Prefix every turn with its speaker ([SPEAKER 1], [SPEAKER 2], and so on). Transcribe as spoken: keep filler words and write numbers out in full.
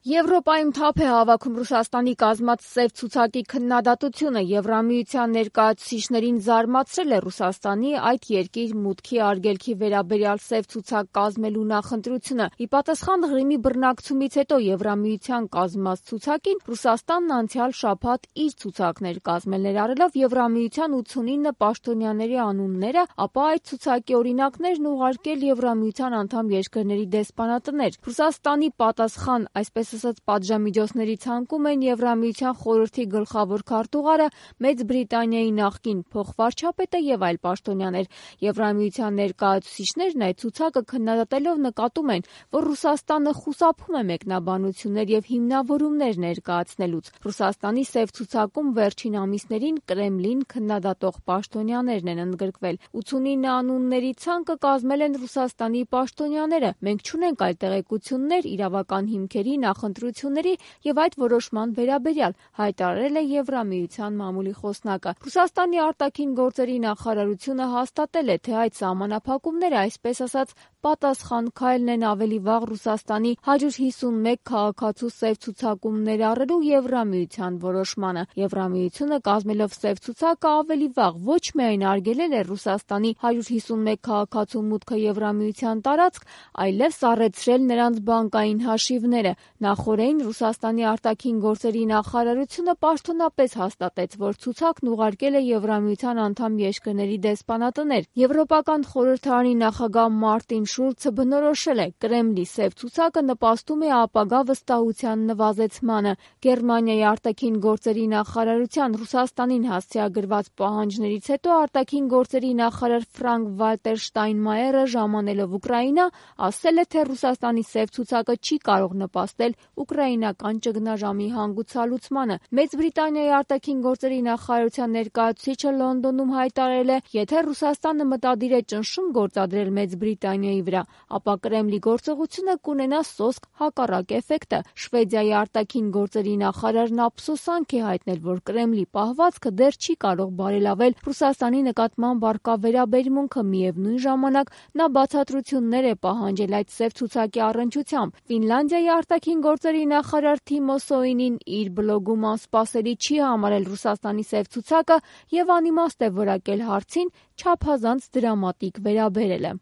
[SPEAKER 1] Եվրոպայում թափ է հավաքում Ռուսաստանի կազմած սև ցուցակի քննադատությունը։ Եվրամիության ներկայացուցիչներին զարմացրել է Ռուսաստանի այդ երկիր մուտքի արգելքի վերաբերյալ սև ցուցակ կազմելու նախընտրությունը։ Ի պատասխան Ղրիմի բռնակցումից հետո Եվրամիության կազմած ցուցակին Ռուսաստանն անցյալ շաբաթ իր ցուցակն էր կազմել, ներառելով Եվրամիության ութսունինը պաշտոնյաների անունները, ապա այդ ցուցակի օրինակներն ուղարկել Եվրամիության անդամ երկրների դեսպանատներ։ Ռուսաստանի պատասխան, այսպես ասած, պատժամիջոցների ցանկում են Եվրամիության խորհրդի գլխավոր քարտուղարը, Մեծ Բրիտանիայի նախկին փոխվարչապետը եւ այլ պաշտոնյաներ։ Եվրամիության ներկայացուցիչներն այդ ցուցակը քննադատելով նկատում են, որ Ռուսաստանը խուսափում է մեկնաբանություններ եւ հիմնավորումներ ներկայացնելուց։ Ռուսաստանի սև ցուցակում վերջին ամիսներին Կրեմլին քննադատող պաշտոնյաներն են ընդգրկվել։ ութսունինը անունների ցանկը կազմել են Ռուսաստանի պաշտոնյաները։ Մենք չունենք այլ տեղեկություններ իրավական հիմքերի, նախընտրությունների եւ այդ որոշման վերաբերյալ, հայտարարել է Եվրամիության մամուլի խոսնակը։ Ռուսաստանի արտաքին գործերի նախարարությունը հաստատել է, թե այդ սահմանափակումները, այսպես ասած, պատասխան քայլն են ավելի վաղ Ռուսաստանի հարյուր հիսունմեկ քաղաքացու սև ցուցակում ներառելու Եվրամիության որոշմանը։ Եվրամիությունը կազմելով սև ցուցակը ավելի վաղ ոչ միայն արգելել է Ռուսաստանի հարյուր հիսունմեկ քաղաքացու մուտքը Եվրամիության տարածք, այլև սառեցրել նրանց բանկային հաշիվները։ Նախօրեին Ռուսաստանի արտաքին գործերի նախարարությունը պաշտոնապես հաստատեց, որ ցուցակն ուղարկել է Եվրամիության անդամ երկրների դեսպանատներ։ Եվրոպական խորհրդարանի նախագահ Մարտին Շուլցը բնորոշել է. Կրեմլի սև ցուցակը նպաստում է ապագա վստահության նվազեցմանը։ Գերմանիայի արտաքին գործերի նախարարության Ռուսաստանին հասցեագրված պահանջներից հետո արտաքին գործերի նախարար Ֆրանկ Վալտեր Շտայնմայերը ժամանելով Ուկրաինա ասել է, թե Ռուսաստանի սև ցուցակը չի կարող նպաստել ուկրաինական ճգնաժամի հանգուցալուծմանը։ Մեծ Բրիտանիայի արտաքին գործերի նախարարության ներկայացուցիչը Լոնդոնում հայտարարել է, եթե Ռուսաստանը մտադիր է ճնշում գործադրել Մեծ Բրիտանիայի վրա, ապա Կրեմլի գործողությունը կունենա սոսկ հակառակ էֆեկտը։ Շվեդիայի արտաքին գործերի նախարարն ափսոսանք է հայտնել, որ Կրեմլի պահվածքը դեռ չի կարող բարելավել Ռուսաստանի նկատմամբ առկա վերաբերմունքը, միևնույն ժամանակ նա բացատրություններ է պահանջել այդ սև ցուցակի առնչությամբ։ Ֆինլանդիայի արտաքին գործերի նախարար Թիմո Սոյինին իր բլոգում անսպասելի չի համարել Ռուսաստանի սև ցուցակը եւ անիմաստ է որակել հարցին չափազանց դրամատիկ վերաբերելը։